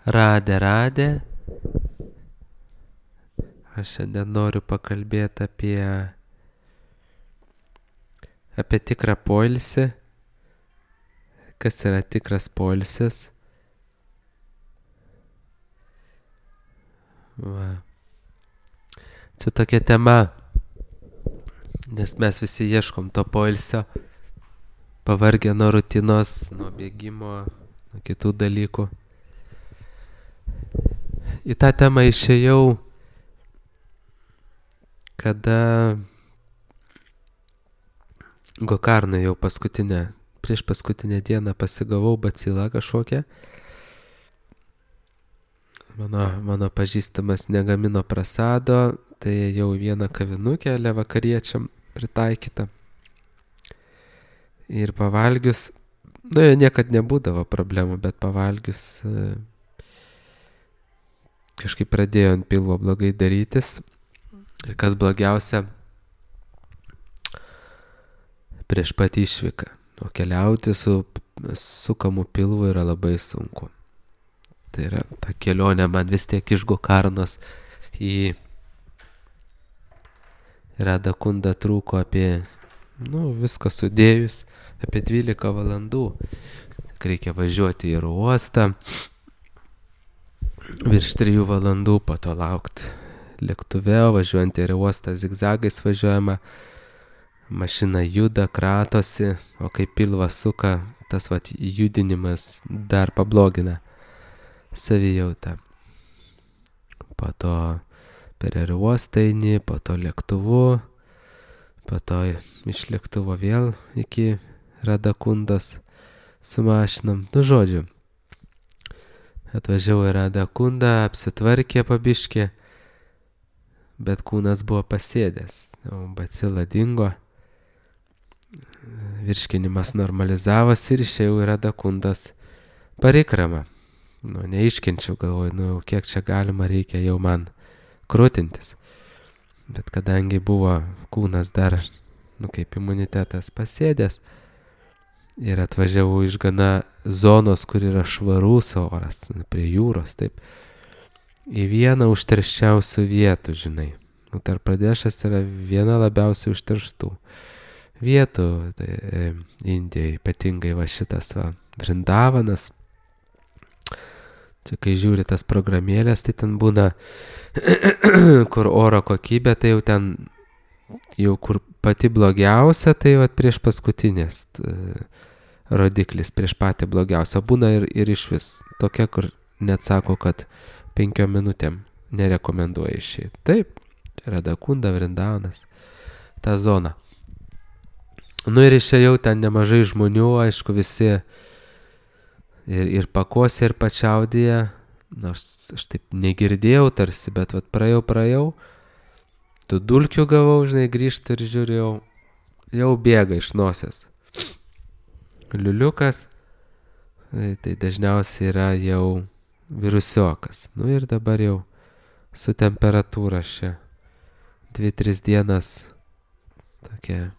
Radė. Aš šiandien noriu pakalbėti apie tikrą poilsį. Kas yra tikras poilsis? Va. Čia tokia tema, nes mes visi ieškom to poilsio, pavargę nuo rutinos, nuo bėgimo, nuo kitų dalykų. Į tą temą išėjau, kada Gokarną jau prieš paskutinę dieną pasigavau bacilą kažkokią. Mano pažįstamas negamino prasado, tai jau vieną kavinukę vakariečiam pritaikytą. Ir pavalgius, niekad nebūdavo problemų, bet pavalgius kažkaip pradėjo ant pilvo blogai darytis. Ir kas blogiausia, prieš pat išvyką. O keliauti su sukamu pilvu yra labai sunku. Tai yra ta kelionė man vis tiek iš Gokarnos į Radakundą trūko apie, viską sudėjus, apie 12 valandų. Reikia važiuoti į uostą, virš 3 valandų, po to laukti lėktuve, važiuojant į uostą zigzagais važiuojama, mašina juda, kratosi, o kai pilvą suka, tas judinimas dar pablogina savijautą. Po to per aerouostą eini, po to lėktuvu, po to iš lėktuvo vėl iki Radakundos su mašinom. Žodžiu, atvažiavau į Radakundą, apsitvarkė pabiškį, bet kūnas buvo pasėdęs, bacila dingo, virškinimas normalizavosi ir išėjau į Radakundos parikramą. Neiškenčiau, galvoju, kiek čia galima, reikia jau man krūtintis. Bet kadangi buvo kūnas dar, kaip imunitetas pasėdęs, ir atvažiavau iš gana zonos, kur yra švarus oras, prie jūros, taip, į vieną užterščiausių vietų, žinai. Uttar Pradešas yra viena labiausiai užterštų vietų, tai Indijai, ypatingai šitas Vrindavanas. Čia kai žiūri tas programėlės, tai ten būna, kur oro kokybė, tai jau ten, kur pati blogiausia, tai prieš paskutinės rodiklis, prieš patį blogiausią. Būna ir iš vis tokia, kur net sako, kad 5 minutėm nerekomenduoja išeiti. Taip, Radakunda, Vrindavanas, ta zona. Ir išėjau ten nemažai žmonių, aišku, visi ir pakosė, ir pačiaudėje, nors aš taip negirdėjau tarsi, bet praėjau, tų dulkių gavau, žinai, grįžti ir žiūrėjau, jau bėga iš nosies. Liuliukas, tai dažniausiai yra jau virusiokas. Ir dabar jau su temperatūra šia 2-3 dienas tokia,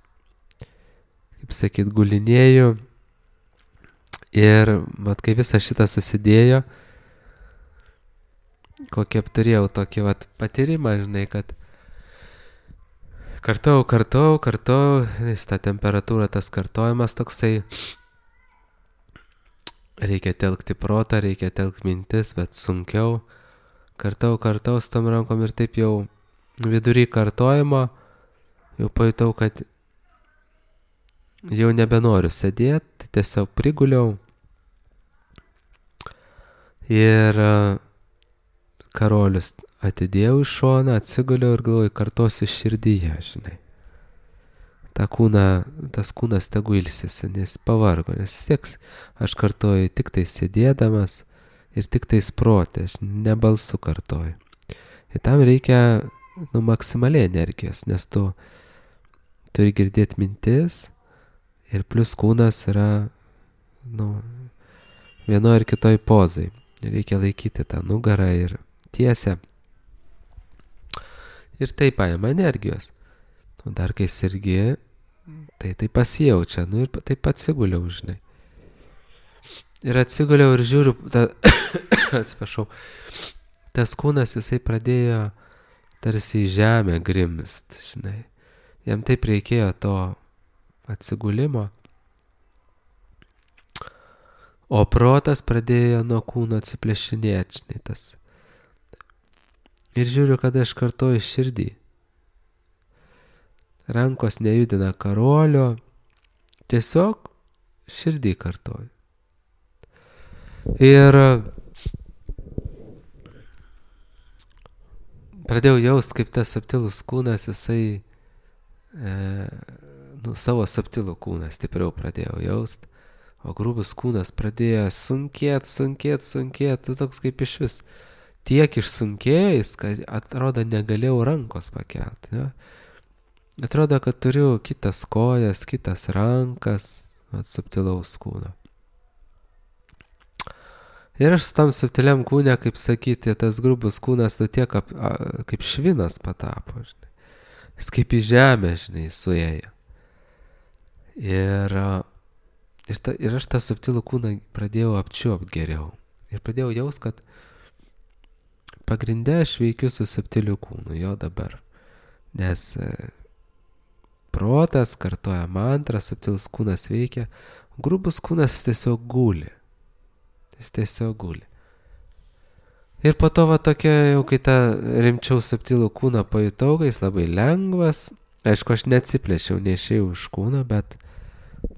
kaip sakyt, gulinėjau. Ir kai visą šitą susidėjo, kokį turėjau tokį patyrimą, žinai, kad kartojau, ta temperatūra, tas kartojimas toksai, reikia telkti protą, reikia telkti mintis, bet sunkiau, kartau su tom rankom ir taip jau vidury kartojimo, jau pajutau, kad jau nebenoriu sėdėti, tiesiog priguliau ir karolius atidėjau iš šoną, atsiguliau ir galvoju, kartosiu širdyje, žinai. Tas kūnas tegu ilsisi, nes pavargo, nes sieks, aš kartoju tik tai sėdėdamas ir tik tai protė, aš ne balsu kartoju. Ir tam reikia maksimaliai energijos, nes tu turi girdėti mintis ir plus kūnas yra vienoje ir kitoj pozai. Reikia laikyti tą nugarą ir tiesę. Ir tai paima energijos. Dar kai sergi, tai pasijaučia. Ir taip atsiguliau, žinai. Ir atsiguliau ir žiūriu, atsiprašau, tas kūnas jisai pradėjo tarsi į žemę grimst, žinai. Jam taip reikėjo to atsigulimo. O protas pradėjo nuo kūno atsiplėšinėti, žinai, tas. Ir žiūriu, kada aš kartoju širdį. Rankos nejudina karolio, tiesiog širdį kartoju. Ir pradėjau jaust, kaip tas subtilus kūnas, jisai, savo subtilų kūną stipriau pradėjau jaust, o grubus kūnas pradėjo sunkėt, toks kaip iš vis. Tiek išsunkėjęs, kad atrodo negalėjau rankos pakelti. Ne? Atrodo, kad turiu kitas kojas, kitas rankas, subtilaus kūno. Ir aš su tam subtiliam kūne, kaip sakyti, tas grubus kūnas tiek kaip švinas patapo, žinai. Jis kaip į žemę, žinai, suėjo. Ir aš tą subtilų kūną pradėjau apčiuopt geriau. Ir pradėjau jaust, kad pagrinde aš veikiu su subtiliu kūnu, jo dabar. Nes protas kartoja mantrą, subtilus kūnas veikia, grubus kūnas tiesiog guli. Jis tiesiog guli. Ir po to va tokia, jau kai tą rimčiau subtilų kūną pajutau, kai jis labai lengvas. Aišku, aš neatsiplėšiau, neišėjau iš kūno, bet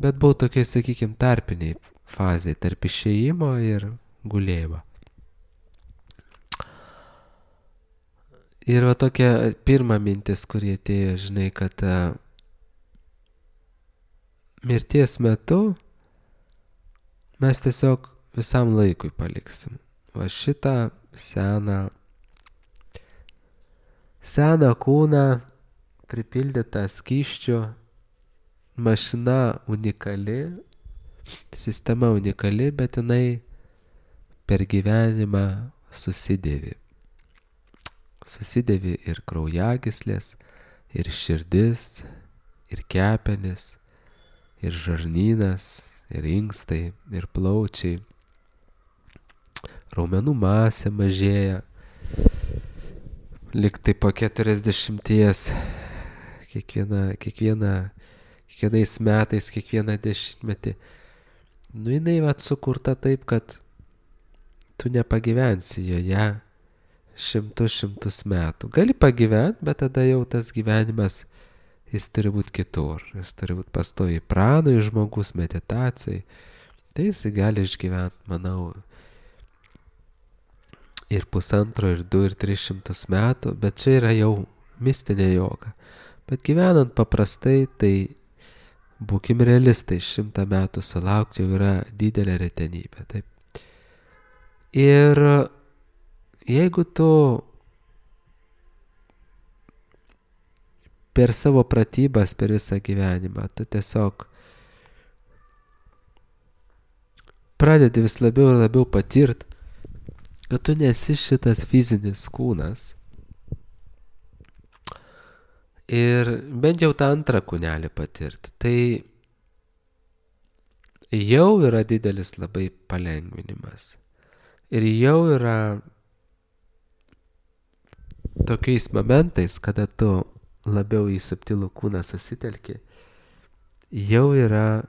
buvau tokiai, sakykime, tarpiniai fazai, tarp išėjimo ir gulėjimo. Ir va tokia pirma mintis, kurie atėjo, žinai, kad mirties metu mes tiesiog visam laikui paliksim. Va šitą seną kūną, pripildytą skysčių, mašina unikali, sistema unikali, bet jinai per gyvenimą susidėvi. Susidėvi ir kraujagyslės, ir širdis, ir kepenis, ir žarnynas, ir inkstai, ir plaučiai. Raumenų masė mažėja. Lyg tai po 40 kiekvienais metais, kiekvieną dešimtmetį. Jinai sukurta taip, kad tu nepagyvensi joje šimtus metų. Gali pagyventi, bet tada jau tas gyvenimas, jis turi būti kitur. Jis turi būti pastoviai pranui žmogus, meditacijai. Tai jis gali išgyventi, manau, ir 1,5, ir 2, ir 300 metų, bet čia yra jau mistinė joga. Bet gyvenant paprastai, tai būkim realistai, 100 metų sulaukti jau yra didelė retenybė. Taip. Ir jeigu tu per savo pratybas, per visą gyvenimą, tu tiesiog pradedi vis labiau ir labiau patirt, kad tu nesi šitas fizinis kūnas. Ir bent jau tą antrą kūnelį patirti. Tai jau yra didelis labai palengvinimas. Ir jau yra tokiais momentais, kada tu labiau į subtilų kūną susitelki, jau yra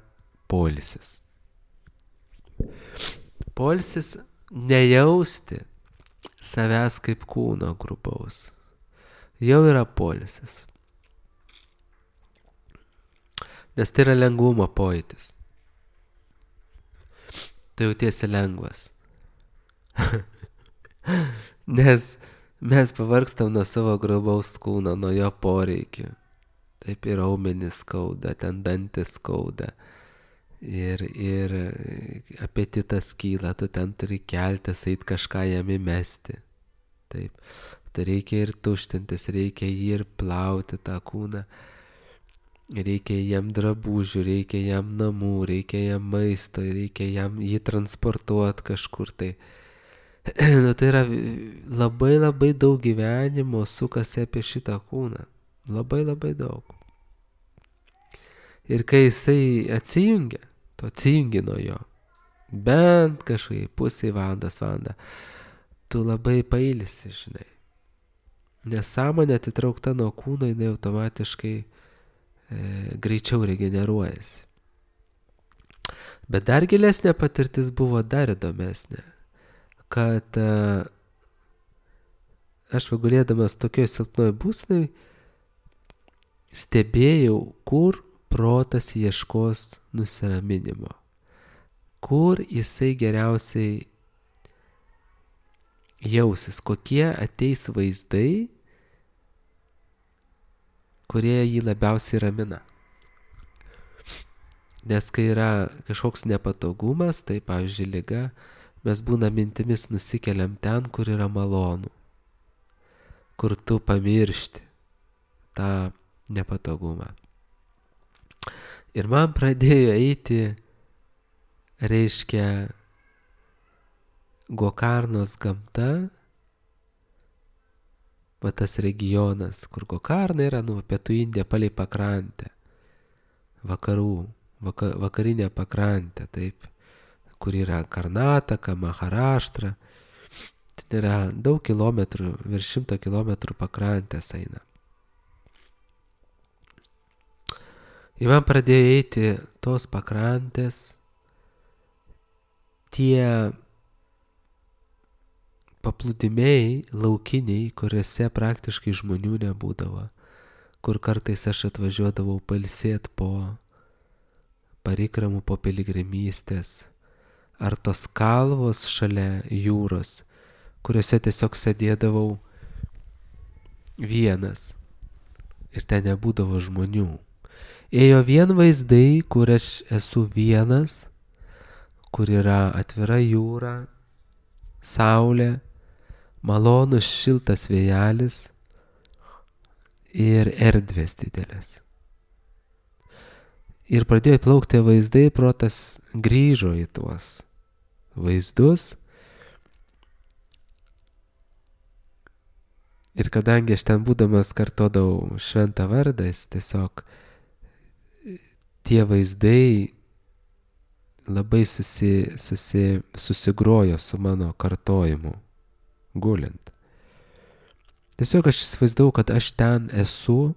poilsis. Poilsis nejausti savęs kaip kūno grubaus. Jau yra poilsis. Nes tai yra lengvumo pojūtis. Tu jautiesi lengvas. Nes mes pavargstam nuo savo grubaus kūno, nuo jo poreikių. Taip ir raumenys skauda, ten dantis skauda. Ir apetitas kyla, tu ten turi keltis, eit kažką jam įmesti. Taip. Tai reikia ir tuštintis, reikia jį ir plauti tą kūną. Reikia jam drabužių, reikia jam namų, reikia jam maisto, reikia jam jį transportuoti kažkur tai. Tai yra labai labai daug gyvenimo sukasi apie šitą kūną. Labai labai daug. Ir kai jisai atsijungia, tu atsijungi nuo jo. bent kažkai pusę valandą, tu labai pailsi, žinai. Nes sąmonė atitraukta nuo kūno, jinai automatiškai greičiau regeneruojasi. Bet dar gilesnė patirtis buvo dar įdomesnė, kad aš gulėdamas tokioj silpnoj būsnai stebėjau, kur protas ieškos nusiraminimo, kur jisai geriausiai jausis, kokie ateis vaizdai, kurie jį labiausiai ramina. Nes kai yra kažkoks nepatogumas, tai pavyzdžiui liga, mes būna mintimis nusikeliam ten, kur yra malonu, kur tu pamiršti tą nepatogumą. Ir man pradėjo eiti, reiškia, Gokarnos gamta, va tas regionas, kur Gokarna yra, pietų Indija palei pakrantę, vakarinė pakrantė, taip, kur yra Karnataka, Maharaštra, ten yra daug kilometrų, virš 100 kilometrų pakrantės eina. Ir man pradėjo eiti tos pakrantės, tie paplūdimiai laukiniai, kuriuose praktiškai žmonių nebūdavo, kur kartais aš atvažiuodavau pailsėti po parikramų, po piligrimystės, ar tos kalvos šalia jūros, kuriuose tiesiog sėdėdavau vienas ir ten nebūdavo žmonių. Ėjo vien vaizdai, kur aš esu vienas, kur yra atvira jūra, saulė, malonus šiltas vėjelis ir erdvės didelės. Ir pradėjo plaukti vaizdai, protas grįžo į tuos vaizdus. Ir kadangi aš ten būdamas kartodavau šventą vardą, jis tiesiog tie vaizdai labai susigrojo su mano kartojimu, gulint. Tiesiog aš įsivaizdavau, kad aš ten esu,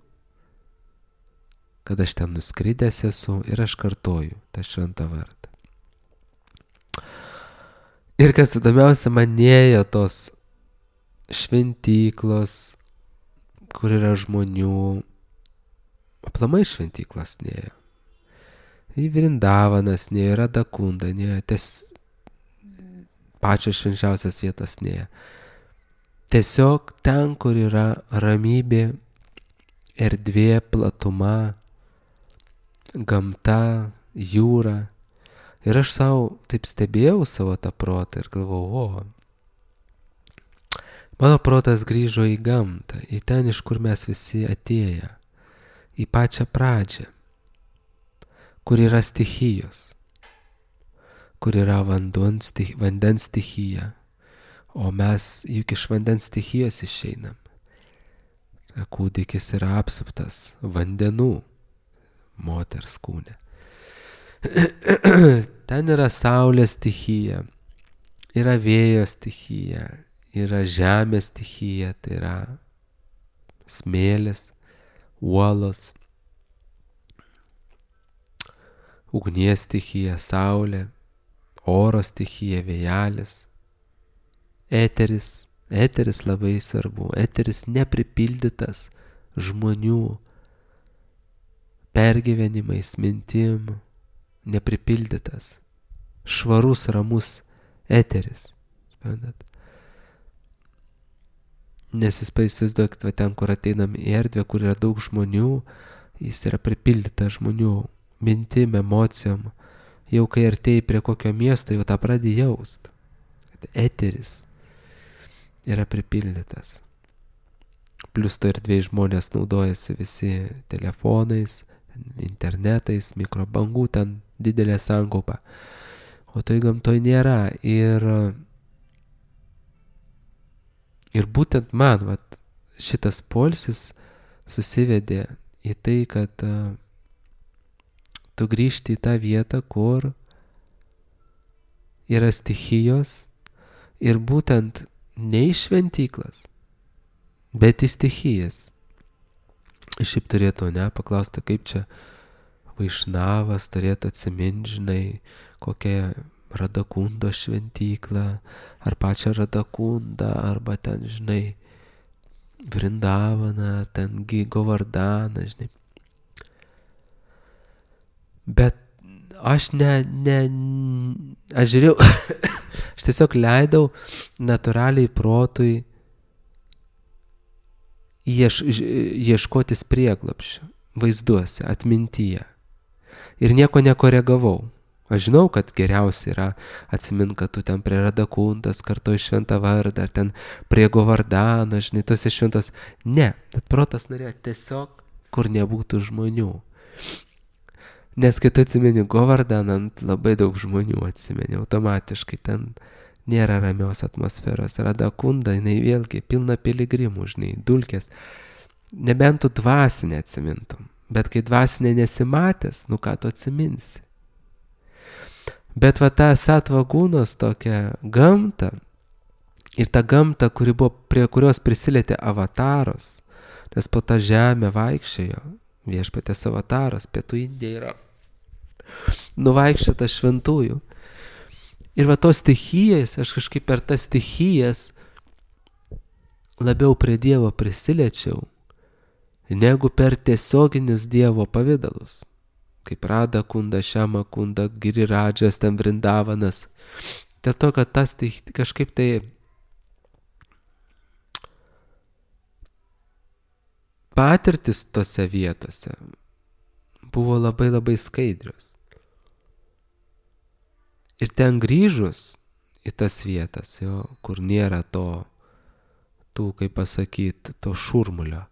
kad aš ten nuskridęs esu ir aš kartoju tą šventą vardą. Ir kas įdomiausia, man nėjo tos šventyklos, kur yra žmonių, aplamai šventyklos nėjo. Į Vrindavanas nėjo, Radakunda nėjo, pačios švenčiausias vietas nėjo. Tiesiog ten, kur yra ramybė, erdvė, platuma, gamta, jūra. Ir aš savo taip stebėjau savo tą protą ir galvojau, mano protas grįžo į gamtą, į ten, iš kur mes visi atėję, į pačią pradžią, kur yra stichijos, kur yra vandens stichija, o mes juk iš vandens stichijos išeinam. Kūdikis yra apsuptas vandenų moters kūne. Ten yra saulės stichija, yra vėjo stichija, yra žemės stichija, tai yra smėlis, uolos, ugnies stichija, saulė, oro stichija, vėjelis, eteris labai svarbu, eteris nepripildytas žmonių pergyvenimais, mintim, nepripildytas, švarus, ramus eteris. Suprantat? Nes jūs įsivaizduokit, ten, kur ateinam į erdvę, kur yra daug žmonių, jis yra pripildytas žmonių mintim, emocijom. Jau kai artėjai prie kokio miesto, jau tą pradedi jaust. Eteris yra pripildytas. Plius to erdvėj žmonės naudojasi visi telefonais, internetais, mikrobangų, ten didelė sankaupa. O toj gamtoj nėra. Ir būtent man šitas poilsis susivedė į tai, kad tu grįžti į tą vietą, kur yra stichijos ir būtent ne į šventyklas, bet į stichijas. Šiaip turėtų, paklausti, kaip čia Vaišnavas turėtų atsiminti, žinai, kokią Radakundo šventyklą, ar pačią Radakundą, arba ten, žinai, Vrindavaną, ar ten Govardaną, žinai. Bet aš aš žiūrėjau, aš tiesiog leidau natūraliai protui ieškotis prieglobsčio vaizduose, atmintyje. Ir nieko nekoregavau. Aš žinau, kad geriausia yra atsimint, kad tu ten prie Radakundas kartu iš Šventą vardą, ar ten prie Govardano, žinai, tose šventos. Ne, bet protas norėjo tiesiog, kur nebūtų žmonių. Nes kai tu atsimeni Govardaną, labai daug žmonių atsimeni, automatiškai ten nėra ramios atmosferos. Radakunda, jinai vėlgi pilna piligrimų, žinai, dulkės. Nebent tu dvasinę atsimintum, bet kai dvasinė nesimatęs, ką tu atsiminsi. Bet va ta Satvagūnos tokia gamta ir ta gamta, prie kurios prisilietė avataras, nes po tą žemę vaikščiojo viešpatės avataras, pietų Indija yra nuvaikščiota šventųjų. Ir va tos stichijas, aš kažkaip per tas stichijas labiau prie Dievo prisiliečiau, negu per tiesioginius Dievo pavidalus, kaip Radakunda, Šiamakunda, Giriradžas, ten Vrindavanas. Dėl to, kad tas kažkaip tai patirtis tose vietose buvo labai labai skaidrios. Ir ten grįžus į tas vietas, kur nėra kaip pasakyti, to šurmulio,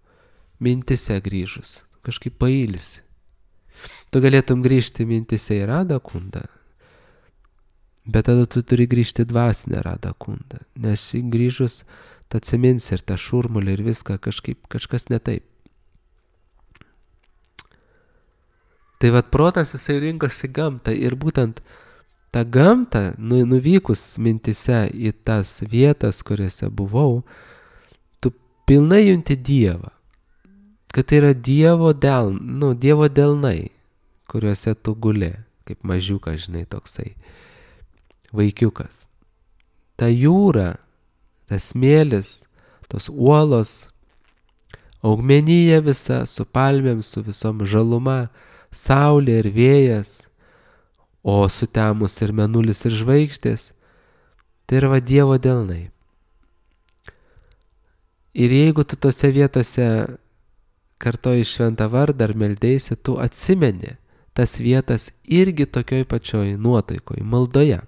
mintise grįžus, kažkaip pailsi. Tu galėtum grįžti mintise į Radakundą, bet tada tu turi grįžti dvasinę Radakundą, nes grįžus tu atsiminsi ir tą šurmulį ir viską kažkas ne taip. Tai vat protas jisai rinkosi gamtą ir būtent tą gamtą, nuvykus mintise į tas vietas, kuriuose buvau, tu pilnai junti Dievą. Kad tai yra Dievo delnai, kuriuose tu guli, kaip mažiukas, žinai, toksai vaikiukas. Ta jūra, tas smėlis, tos uolos, augmenija visa, su palmėm, su visom žaluma, saulė ir vėjas, o sutemus ir mėnulis ir žvaigždės, tai yra Dievo delnai. Ir jeigu tu tose vietose kartoji šventą vardą ar meldėsi, tu atsimeni tas vietas irgi tokioj pačioj nuotaikoj, maldoje.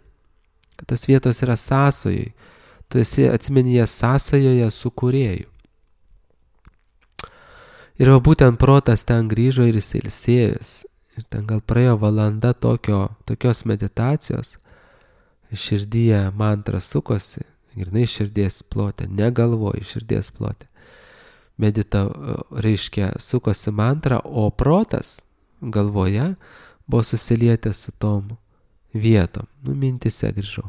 Kad tos vietos yra sąsajoj, tu atsimeni jas sąsajoje su Kūrėju. Ir būtent protas ten grįžo ir jis ilsėjęs. Ir ten gal praėjo valanda tokios meditacijos, širdyje mantra sukosi, grynai širdies plote, negalvoj, širdies plote. Reiškia, sukosi mantra, o protas galvoje buvo susilietęs su tom vietom. Mintise grįžau.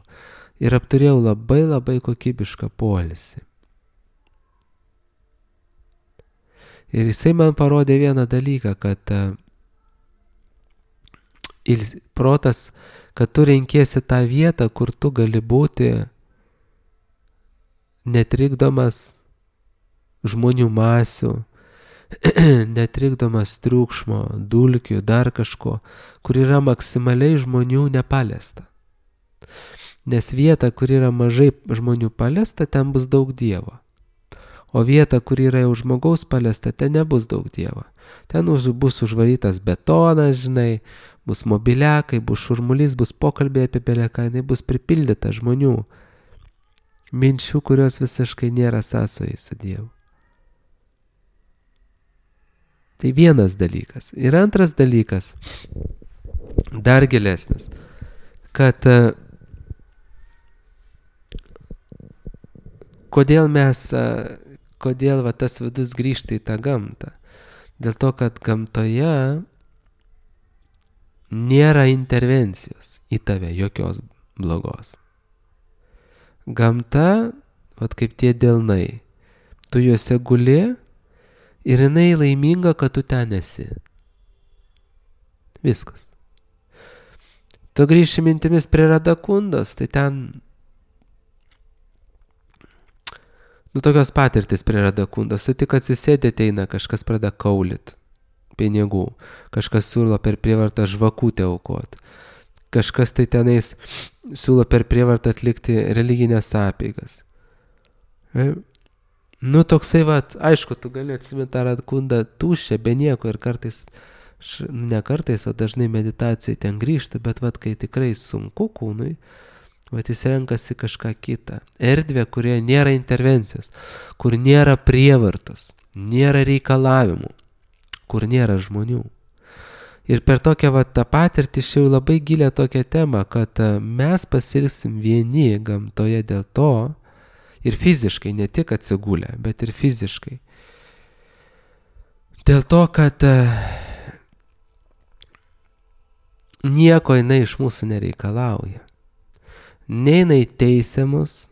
Ir apturėjau labai labai kokybišką poilsį. Ir jisai man parodė vieną dalyką, kad protas, kad tu renkiesi tą vietą, kur tu gali būti netrikdomas žmonių masių, netrikdomas triukšmo, dulkių, dar kažko, kur yra maksimaliai žmonių nepaliesta. Nes vieta, kur yra mažai žmonių paliesta, ten bus daug Dievo. O vieta, kur yra jau žmogaus paliesta, ten nebus daug Dievo. Ten bus užvarytas betonas, žinai, bus mobiliakai, bus šurmulys, bus pokalbiai apie beleką, jinai bus pripildyta žmonių minčių, kurios visiškai nėra sąsojai su Dievu. Tai vienas dalykas. Ir antras dalykas, dar gilesnis, kad kodėl va tas vidus grįžta į tą gamtą. Dėl to, kad gamtoje nėra intervencijos į tave jokios. blogos. Gamta, vat kaip tie delnai, tu juose guli ir jinai laiminga, kad tu ten esi. Viskas. Tu grįši mintimis prie Radakundos, tai ten, tokios patirtis prie Radakundos, tu tik atsisėdė, ateina, kažkas pradeda kaulit pinigų, kažkas siūlo per prievartą žvakutę aukot, kažkas tai tenais siūlo per prievartą atlikti religinės apeigas. Toksai, aišku, tu gali atsiminti tą Radakundą tuščią, be nieko ir kartais, ne kartais, o dažnai meditacijai ten grįžti, bet kai tikrai sunku kūnui, jis renkasi kažką kitą. Erdvė, kurioje nėra intervencijos, kur nėra prievartos, nėra reikalavimų, kur nėra žmonių. Ir per tokią tą patirtį šiau labai gilę tokią temą, kad mes pasilgsim vieni gamtoje dėl to, ir fiziškai, ne tik atsigulę, bet ir fiziškai. Dėl to, kad nieko jinai iš mūsų nereikalauja. Nei jinai teisia mus,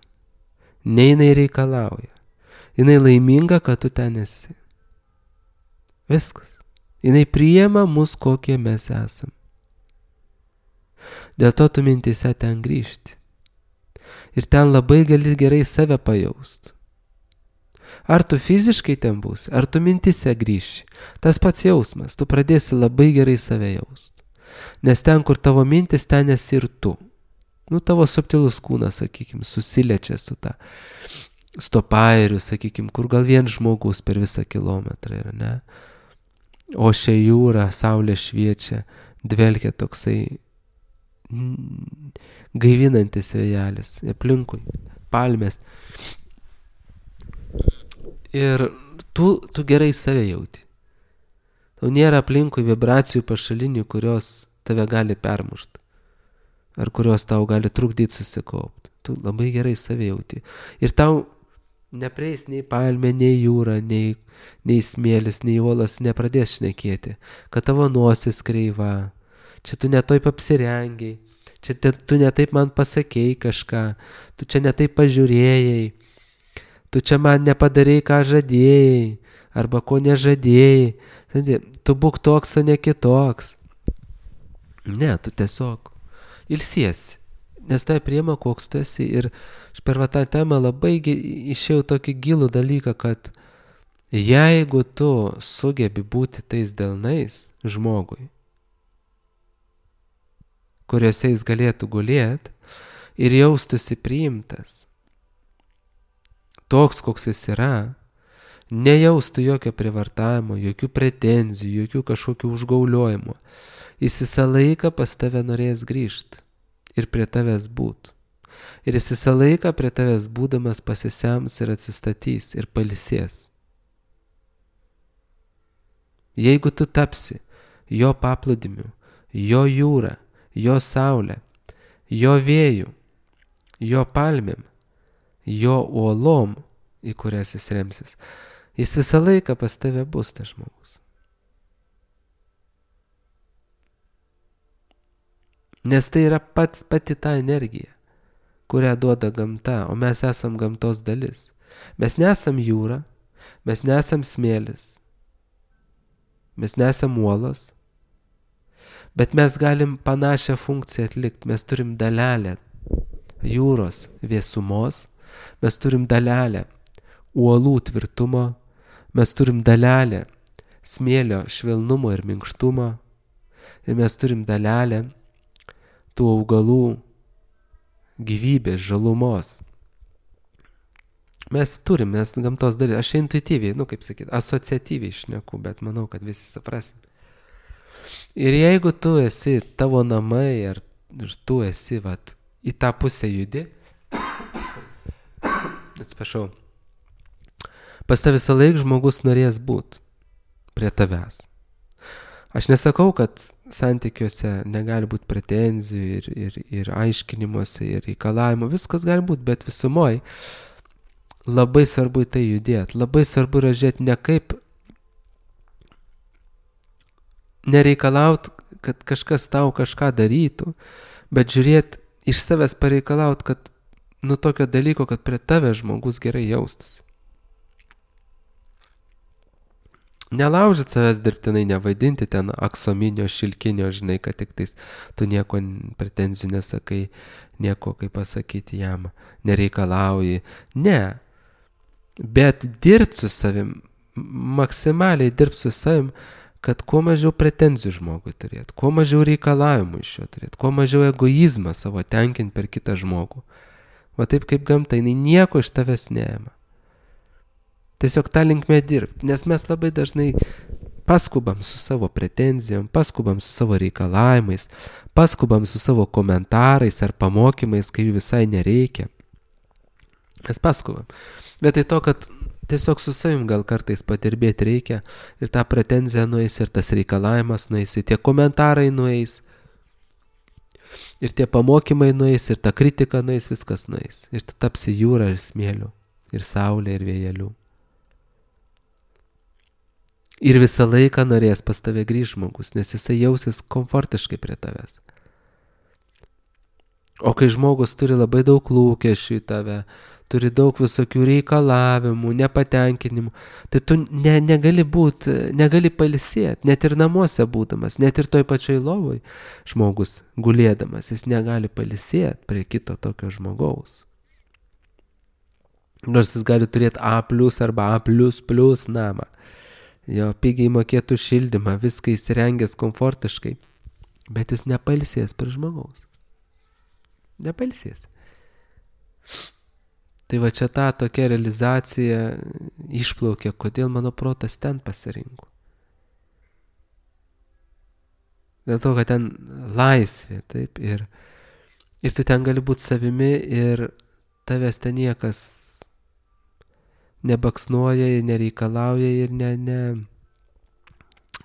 nei jinai reikalauja. Jinai laiminga, kad tu ten esi. Viskas. Jinai priima mus, kokie mes esam. Dėl to tu mintise ten grįžti. Ir ten labai gali gerai save pajaust. Ar tu fiziškai ten būsi, ar tu mintise grįši. Tas pats jausmas, tu pradėsi labai gerai save jaust. Nes ten, kur tavo mintis, ten esi ir tu. Tavo subtilus kūnas, sakykim, susiliečia su ta stopairiu, sakykim, kur gal vien žmogus per visą kilometrą yra, ne? O šia jūra, saulė šviečia, dvelkia toksai gaivinantis vėjelis, aplinkui, palmės. Ir tu gerai save jauti. Tau nėra aplinkui vibracijų pašalinių, kurios tave gali permušti. Ar kurios tau gali trukdyti susikaupti. Tu labai gerai save jauti. Ir tau neprieis nei palmė, nei jūra, nei smėlis, nei uolas nepradės šnekėti, kad tavo nosis kreiva, čia tu netaip apsirengiai, čia tu netaip man pasakėjai kažką, tu čia netaip pažiūrėjai, tu čia man nepadarėjai, ką žadėjai, arba ko nežadėjai, tu būk toks, o ne kitoks. Ne, tu tiesiog ilsiesi. Nes tai priima, koks tu esi. Ir aš per tą temą labai išėjau tokį gilų dalyką, kad jeigu tu sugebi būti tais delnais žmogui, kuriuose jis galėtų gulėti ir jaustųsi priimtas, toks, koks jis yra, nejaustų jokio privartavimo, jokių pretenzijų, jokių kažkokių užgauliojimų, jis visą laiką pas tave norės grįžti. Ir prie tavęs būt. Ir jis visą laiką prie tavęs būdamas pasisems ir atsistatys ir pailsės. Jeigu tu tapsi jo paplūdimiu, jo jūra, jo saulė, jo vėjų, jo palmėm, jo uolom, į kurias jis remsis, jis visą laiką pas tave bus tas žmogus. Nes tai yra pati ta energija, kurią duoda gamta, o mes esam gamtos dalis. Mes nesam jūra, mes nesam smėlis, mes nesam uolos, bet mes galim panašią funkciją atlikti. Mes turim dalelę jūros vėsumos, mes turim dalelę uolų tvirtumo, mes turim dalelę smėlio švelnumo ir minkštumo, ir mes turim dalelę tų augalų gyvybės, žalumos. Mes gamtos dalis, aš intuityviai, kaip sakyt, asociatyviai šneku, bet manau, kad visi suprasim. Ir jeigu tu esi tavo namai, ir tu esi į tą pusę judi, atsiprašau, pas tave visą laiką žmogus norės būt prie tavęs. Aš nesakau, kad santykiuose negali būti pretenzijų ir aiškinimuose ir reikalavimų, viskas gali būti, bet visumoj labai svarbu į tai judėti, labai svarbu yra žiūrėti ne kaip nereikalaut, kad kažkas tau kažką darytų, bet žiūrėti iš savęs pareikalaut, kad tokio dalyko, kad prie tave žmogus gerai jaustųsi. Nelaužyt savęs dirbtinai, nevaidinti ten aksominio, šilkinio, žinai, kad tik tais tu nieko pretenzijų nesakai, nieko, kaip pasakyti, jam nereikalauji. Ne. Bet dirbt su savim, maksimaliai dirbt su savim, kad kuo mažiau pretenzijų žmogui turėt, kuo mažiau reikalavimų iš jo turėt, kuo mažiau egoizmą savo tenkint per kitą žmogų. Va taip kaip gamta, jinai nieko iš tavęs neima. Tiesiog tą linkmę dirbti, nes mes labai dažnai paskubam su savo pretenzijom, paskubam su savo reikalavimais, paskubam su savo komentarais ar pamokymais, kai jų visai nereikia. Mes paskubam. Vietoj to, kad tiesiog su savim gal kartais padirbėti reikia ir tą pretenziją nueis, ir tas reikalavimas nueis, ir tie komentarai nueis, ir tie pamokymai nueis, ir ta kritika nueis, viskas nueis. Ir tu tapsi jūra ir smėliu, ir saulė, ir vėjeliu. Ir visą laiką norės pas tave grįžt žmogus, nes jisai jausis komfortiškai prie tavęs. O kai žmogus turi labai daug lūkesčių į tave, turi daug visokių reikalavimų, nepatenkinimų, tai tu negali pailsėti, net ir namuose būdamas, net ir toj pačioj lovoj žmogus gulėdamas, jis negali pailsėti prie kito tokio žmogaus. Nors jis gali turėti A+ arba A++ namą. Jo pigiai mokėtų šildymą, viską įsirengęs komfortiškai, bet jis nepailsės prie žmogaus. Nepailsės. Tai va čia ta tokia realizacija išplaukė, kodėl mano protas ten pasirinko. Dėl to, kad ten laisvė, taip, ir tu ten gali būti savimi ir tavęs ten niekas nebaksnuoja ir nereikalauja ir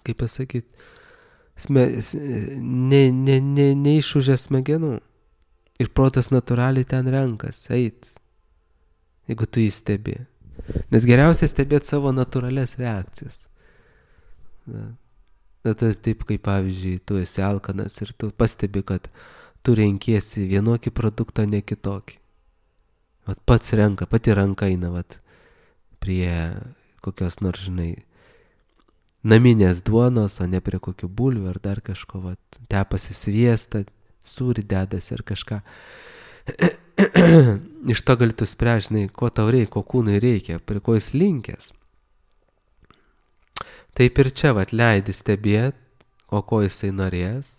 kaip pasakyti, neišūžia smegenų. Ir protas natūraliai ten renkas, eit, jeigu tu jį stebi. Nes geriausia stebėti savo natūralias reakcijas. Taip kaip pavyzdžiui, tu esi alkanas ir tu pastebi, kad tu renkiesi vienokį produktą, ne kitokį. Vat pats renka, pati ranka eina, vat, prie kokios nors, žinai, naminės duonos, o ne prie kokių bulvių ar dar kažko, vat, tepasi sviestą, sūrį dedasi ar kažką. Iš to gali tu spręsti, žinai, ko tau reikia, ko kūnui reikia, prie ko jis linkęs. Taip ir čia, vat, leidi stebėti, o ko jisai norės.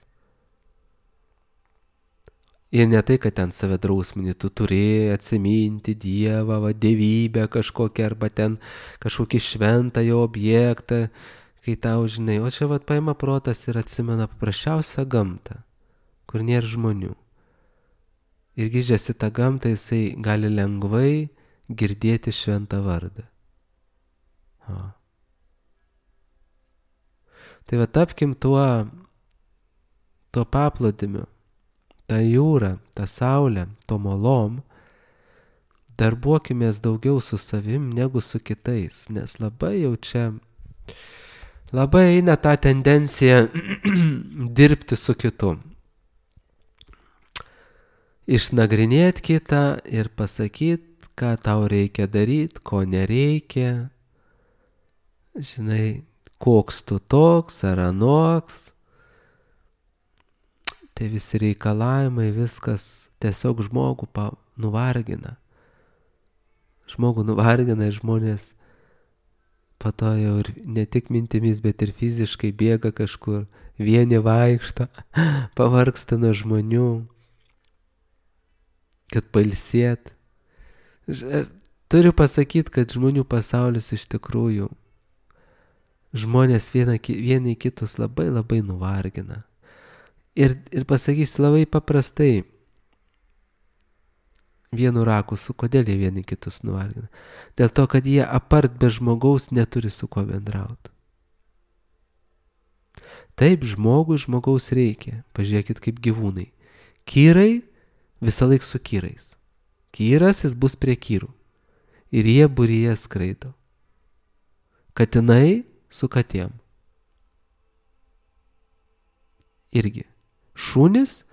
Ir ne tai, kad ten save drausminį, tu turi atsiminti Dievą, va, dievybę kažkokią, arba ten kažkokį šventą jo objektą, kai tau, žinai, o čia vat paima protas ir atsimena paprasčiausią gamtą, kur nėra žmonių. Ir grįžęs į tą gamtą, jisai gali lengvai girdėti šventą vardą. O. Tai va, tapkim tuo paplūdimiu, tą jūrą, tą saulę, to molom, darbuokimės daugiau su savim negu su kitais, nes labai jau čia, labai eina ta tendencija dirbti su kitu. Išnagrinėti kitą ir pasakyti, ką tau reikia daryti, ko nereikia. Žinai, koks tu toks ar anoks. Tai visi reikalavimai, viskas tiesiog žmogų nuvargina. Žmogų nuvargina ir žmonės po to jau ir ne tik mintimis, bet ir fiziškai bėga kažkur, vieni vaikšto, pavargsta nuo žmonių, kad pailsėt. Turiu pasakyti, kad žmonių pasaulis iš tikrųjų, žmonės vieni kitus labai labai nuvargina. Ir pasakysiu labai paprastai, vienu rakusu, kodėl jie vieni kitus nuvargina. Dėl to, kad jie apart be žmogaus neturi su kuo bendrauti. Taip, žmogaus reikia. Pažiūrėkit kaip gyvūnai. Kyrai visą laik su kyrais. Kyras, jis bus prie kyrų. Ir jie būryje skraido. Katinai su katėm. Irgi. Šunys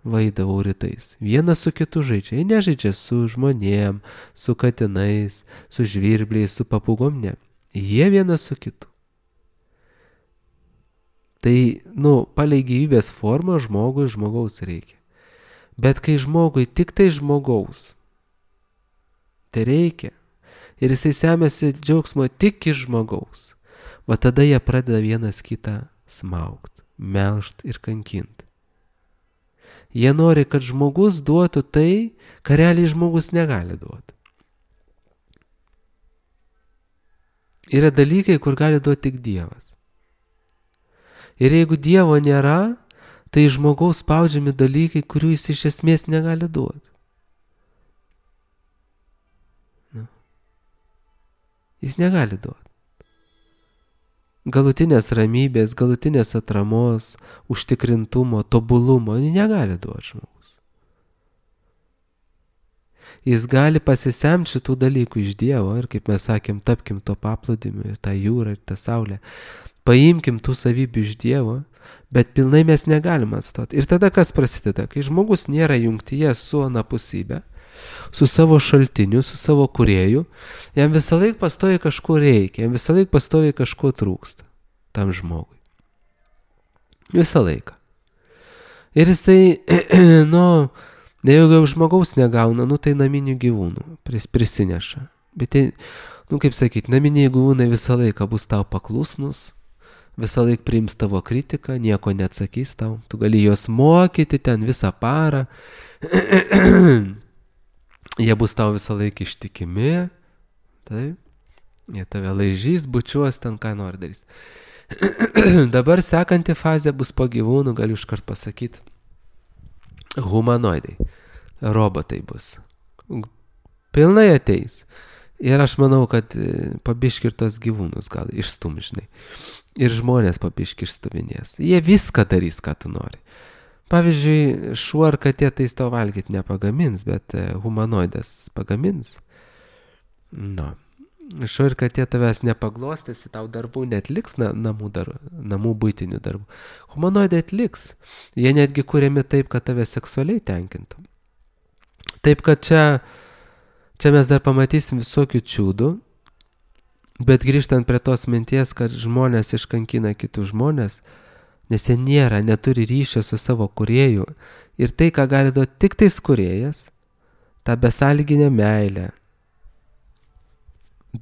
vaidavau rytais. Vienas su kitu žaidžia. Jie nežaidžia su žmonėm, su katinais, su žvirbliais, su papugom, ne. Jie vienas su kitu. Tai, palei gyvybės formą žmogaus reikia. Bet kai žmogui tik tai žmogaus, tai reikia. Ir jisai semėsi džiaugsmo tik iš žmogaus. Va tada jie pradeda vienas kitą smaugt, melžt ir kankint. Jie nori, kad žmogus duotų tai, ką realiai žmogus negali duoti. Yra dalykai, kur gali duoti tik Dievas. Ir jeigu Dievo nėra, tai žmogaus spaudžiami dalykai, kurių jis iš esmės negali duoti. Jis negali duoti. Galutinės ramybės, galutinės atramos, užtikrintumo, tobulumo negali duoti žmogus. Jis gali pasisemti šitų dalykų iš Dievo ir, kaip mes sakėm, tapkim to paplūdimiu ir tą jūrą ir tą saulę. Paimkim tų savybių iš Dievo, bet pilnai mes negalim atstoti. Ir tada kas prasideda? Kai žmogus nėra jungtyje su anapusybė, su savo šaltiniu, su savo kūrėju, jam visą laiką pastoviai kažko reikia, jam visą laiką pastoviai kažko trūksta tam žmogui. Visą laiką. Ir jisai, jeigu žmogaus negauna, tai naminių gyvūnų prisineša. Bet tai, kaip sakyti, naminiai gyvūnai visą laiką bus tau paklusnus, visą laiką priims tavo kritiką, nieko neatsakys tau, tu gali juos mokyti ten visą parą. Jie bus tau visą laiką ištikimi, taip, jie tave laižys, bučiuos, ten ką nori darys. Dabar sekanti fazė bus po gyvūnų, galiu iškart pasakyti, humanoidai, robotai bus. Pilnai ateis. Ir aš manau, kad pabiški ir tos gyvūnus gal išstum, žinai. Ir žmonės pabiški išstuminės. Jie viską darys, ką tu nori. Pavyzdžiui, šuo ar katė tai tau valgyti nepagamins, bet humanoidas pagamins. Šuo ir katė tavęs nepaglostėsi, tau darbų netliks, namų buitinių darbų. Humanoidai atliks. Jie netgi kuriami taip, kad tave seksualiai tenkintų. Taip, kad čia mes dar pamatysim visokių čiūdų, bet grįžtant prie tos minties, kad žmonės iškankina kitus žmonės, nes jie neturi ryšio su savo kūrėju ir tai, ką gali duoti tik tais kūrėjas, tą besąlyginę meilę,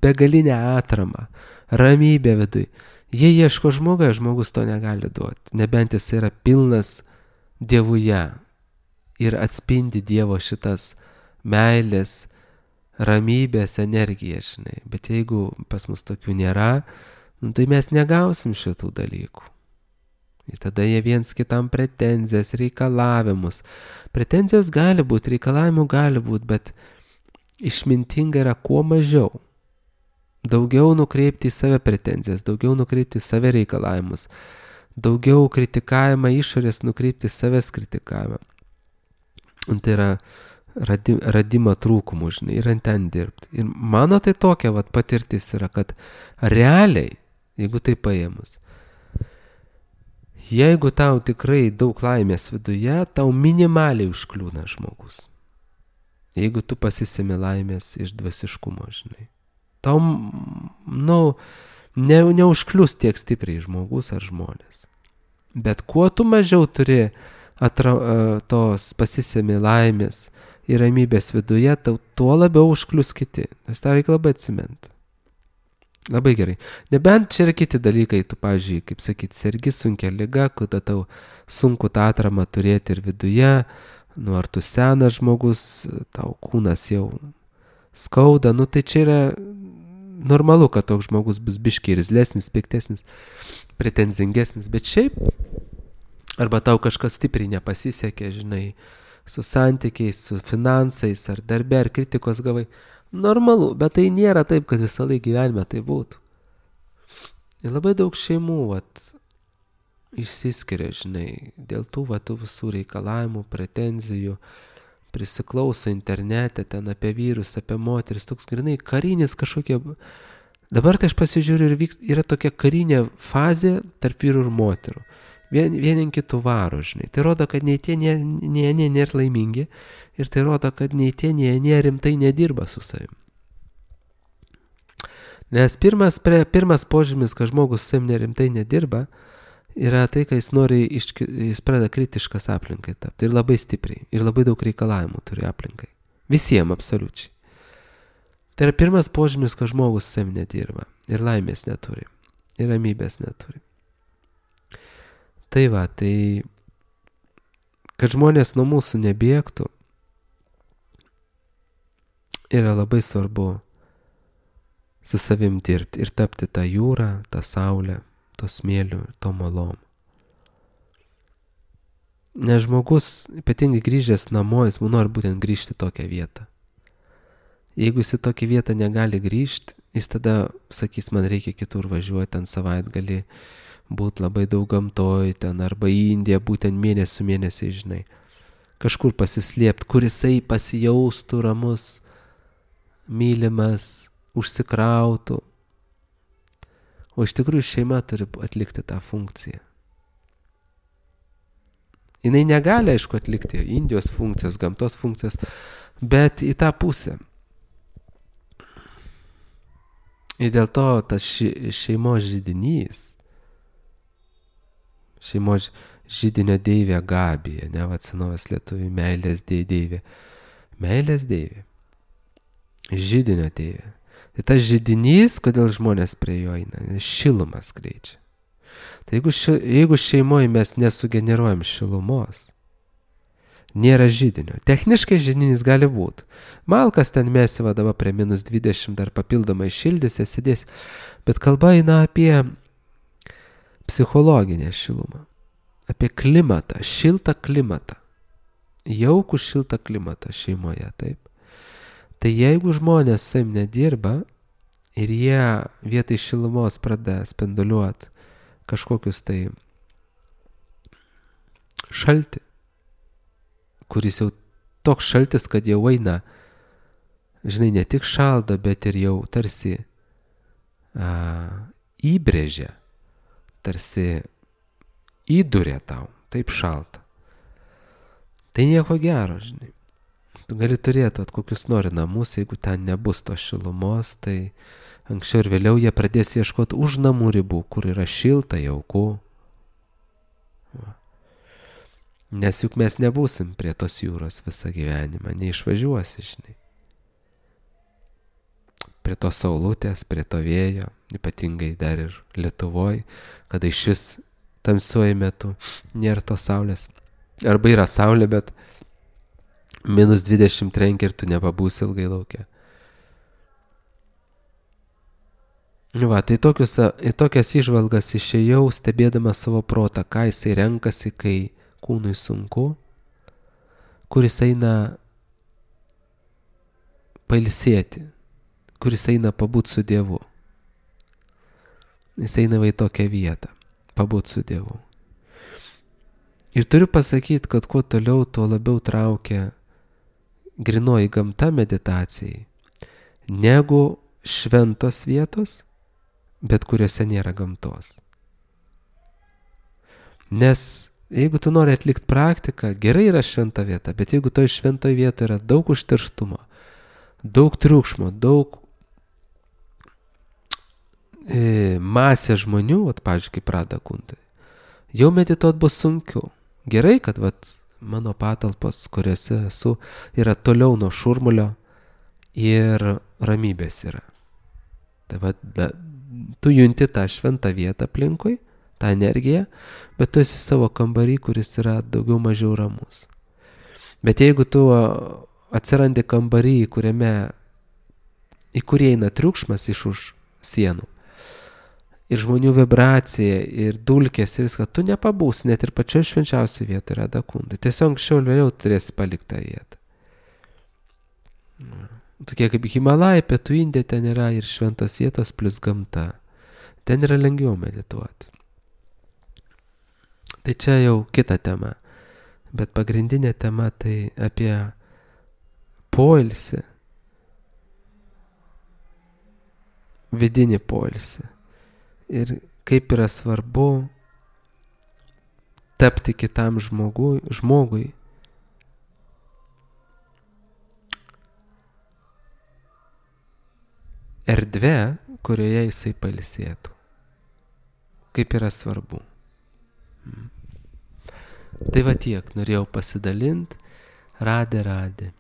begalinę atramą, ramybę viduj. Jie ieško žmogus to negali duoti, nebent jis yra pilnas Dievuje ir atspindi Dievo šitas meilės, ramybės energiją, žinai. Bet jeigu pas mus tokių nėra, tai mes negausim šitų dalykų. Ir tada jie viens kitam pretenzijas, reikalavimus. Pretenzijos gali būti, reikalavimų gali būti, bet išmintinga yra kuo mažiau. Daugiau nukreipti į save pretenzijas, daugiau nukreipti į save reikalavimus, daugiau kritikavimą išorės nukreipti į savęs kritikavimą. Tai yra radimą trūkumų, žinai, ir ant ten dirbti. Ir mano tai tokia patirtis yra, kad realiai, jeigu tai paėmus, jeigu tau tikrai daug laimės viduje, tau minimaliai užkliūna žmogus. Jeigu tu pasisemi laimės iš dvasiškumo, žinai. Tau, neužklius tiek stipriai žmogus ar žmonės. Bet kuo tu mažiau turi tos pasisemi laimės ir ramybės viduje, tuo labiau užklius kiti. Nes tą reikia labai atsimenti. Labai gerai. Nebent čia yra kiti dalykai, tu, pavyzdžiui, kaip sakyti, sergi sunkia liga, kada tau sunku tą atramą turėti ir viduje, ar tu senas žmogus, tau kūnas jau skauda, tai čia yra normalu, kad toks žmogus bus biškiai irzlesnis, piktesnis, pretenzingesnis, bet šiaip, arba tau kažkas stipriai nepasisekė, žinai, su santykiais, su finansais, ar darbe, ar kritikos gavai, normalu, bet tai nėra taip, kad visą laiką gyvenime tai būtų. Ir labai daug šeimų, išsiskiria, žinai, dėl tų visų reikalavimų, pretenzijų, prisiklauso internete, ten apie vyrus, apie moteris, toks grinai karinis kažkokie. Dabar tai aš pasižiūriu ir yra tokia karinė fazė tarp vyrų ir moterų. vieni kitų varo, žinai. Tai rodo, kad nei tie, nei anie nėra laimingi ir tai rodo, kad nei tie, nei anie rimtai nedirba su savim. Nes pirmas požymis, kad žmogus su savim nerimtai nedirba, yra tai, kad jis pradeda kritiškas aplinkai tapti ir labai stipriai, ir labai daug reikalavimų turi aplinkai. Visiems absoliučiai. Tai yra pirmas požymis, kad žmogus su savim nedirba ir laimės neturi, ir ramybės neturi. Tai va, tai kad žmonės nuo mūsų nebėgtų, yra labai svarbu su savim dirbti ir tapti tą jūrą, tą saulę, to smėliu ir to malom. Nes žmogus, ypatingai grįžęs namo, jis nori būtent grįžti į tokią vietą. Jeigu jis į tokią vietą negali grįžti, jis tada sakys, man reikia kitur važiuoti, ten savaitgalį būti labai daug gamtoj, ten arba į Indiją būtent mėnesiai, žinai. Kažkur pasislėpti, kur jisai pasijaustų ramus, mylimas, užsikrautų. O iš tikrųjų šeima turi atlikti tą funkciją. Jinai negali, aišku, atlikti Indijos funkcijos, gamtos funkcijos, bet į tą pusę. Ir dėl to tas šeimos židinys, šeimos židinio deivė Gabija, ne, vat senovės lietuvių meilės deivė. Meilės deivė. Židinio deivė. Tai tas židinys, kodėl žmonės prie jo eina, šilumas skleidžia. Tai jeigu šeimoje mes nesugeneruojam šilumos, nėra židinio. Techniškai židinys gali būti. Malkas ten mesi vadava prie -20 dar papildomai šildėsi, sėdės. Bet kalba eina apie psichologinę šilumą. Apie klimatą, šiltą klimatą. Jaukų šiltą klimatą šeimoje, taip. Tai jeigu žmonės su savim nedirba ir jie vietoj šilumos pradeda spinduliuoti kažkokius tai šaltį, kuris jau toks šaltis, kad jau eina, žinai, ne tik šaldo, bet ir jau tarsi įbrėžia, tarsi įduria tau, taip šalta. Tai nieko gero, žinai. Tu gali turėti kokius nori namus, jeigu ten nebus tos šilumos, tai anksčiau ir vėliau jie pradės ieškoti už namų ribų, kur yra šilta, jauku. Nes juk mes nebūsim prie tos jūros visą gyvenimą, neišvažiuosi, žinai. Prie to saulutės, prie to vėjo, ypatingai dar ir Lietuvoj, kada iš vis tamsiuoju metu nėra tos saulės. Arba yra saulė, bet -20 trenkia ir tu nepabūsi ilgai lauke. Va, tai tokias įžvalgas išėjau, stebėdamas savo protą, ką jisai renkasi, kai kūnui sunku, kur jis eina pailsėti, kur jis eina pabūt su Dievu. Jis eina į tokią vietą, pabūt su Dievu. Ir turiu pasakyti, kad kuo toliau, tuo labiau traukia grinoji gamta meditacijai, negu šventos vietos, bet kuriuose nėra gamtos. Nes jeigu tu nori atlikti praktiką, gerai yra šventa vieta, bet jeigu toj šventoje vietoje yra daug užterštumo, daug triukšmo, daug masė žmonių, pavyzdžiui, kaip Radha Kundai, jau medituot bus sunkiau. Gerai, kad mano patalpos, kuriuose esu, yra toliau nuo šurmulio ir ramybės yra. Tai tu junti tą šventą vietą aplinkui, tą energiją, bet tu esi savo kambarį, kuris yra daugiau mažiau ramus. Bet jeigu tu atsirandi kambarį, į kurį eina triukšmas iš už sienų, ir žmonių vibracija, ir dulkės, ir viską, tu nepabūsi, net ir pačioj švenčiausiai vietoje Radha Kundai. Tiesiog anksčiau ir vėliau turėsi palikti tą vietą. Tokie kaip Himalajai, pietų Indija, ten yra ir šventos vietos plus gamta. Ten yra lengviau medituoti. Tai čia jau kita tema. Bet pagrindinė tema tai apie poilsį, vidinį poilsį. Ir kaip yra svarbu tapti kitam žmogui erdvė, kurioje jisai pailsėtų. Kaip yra svarbu. Tai va tiek, norėjau pasidalinti, radė.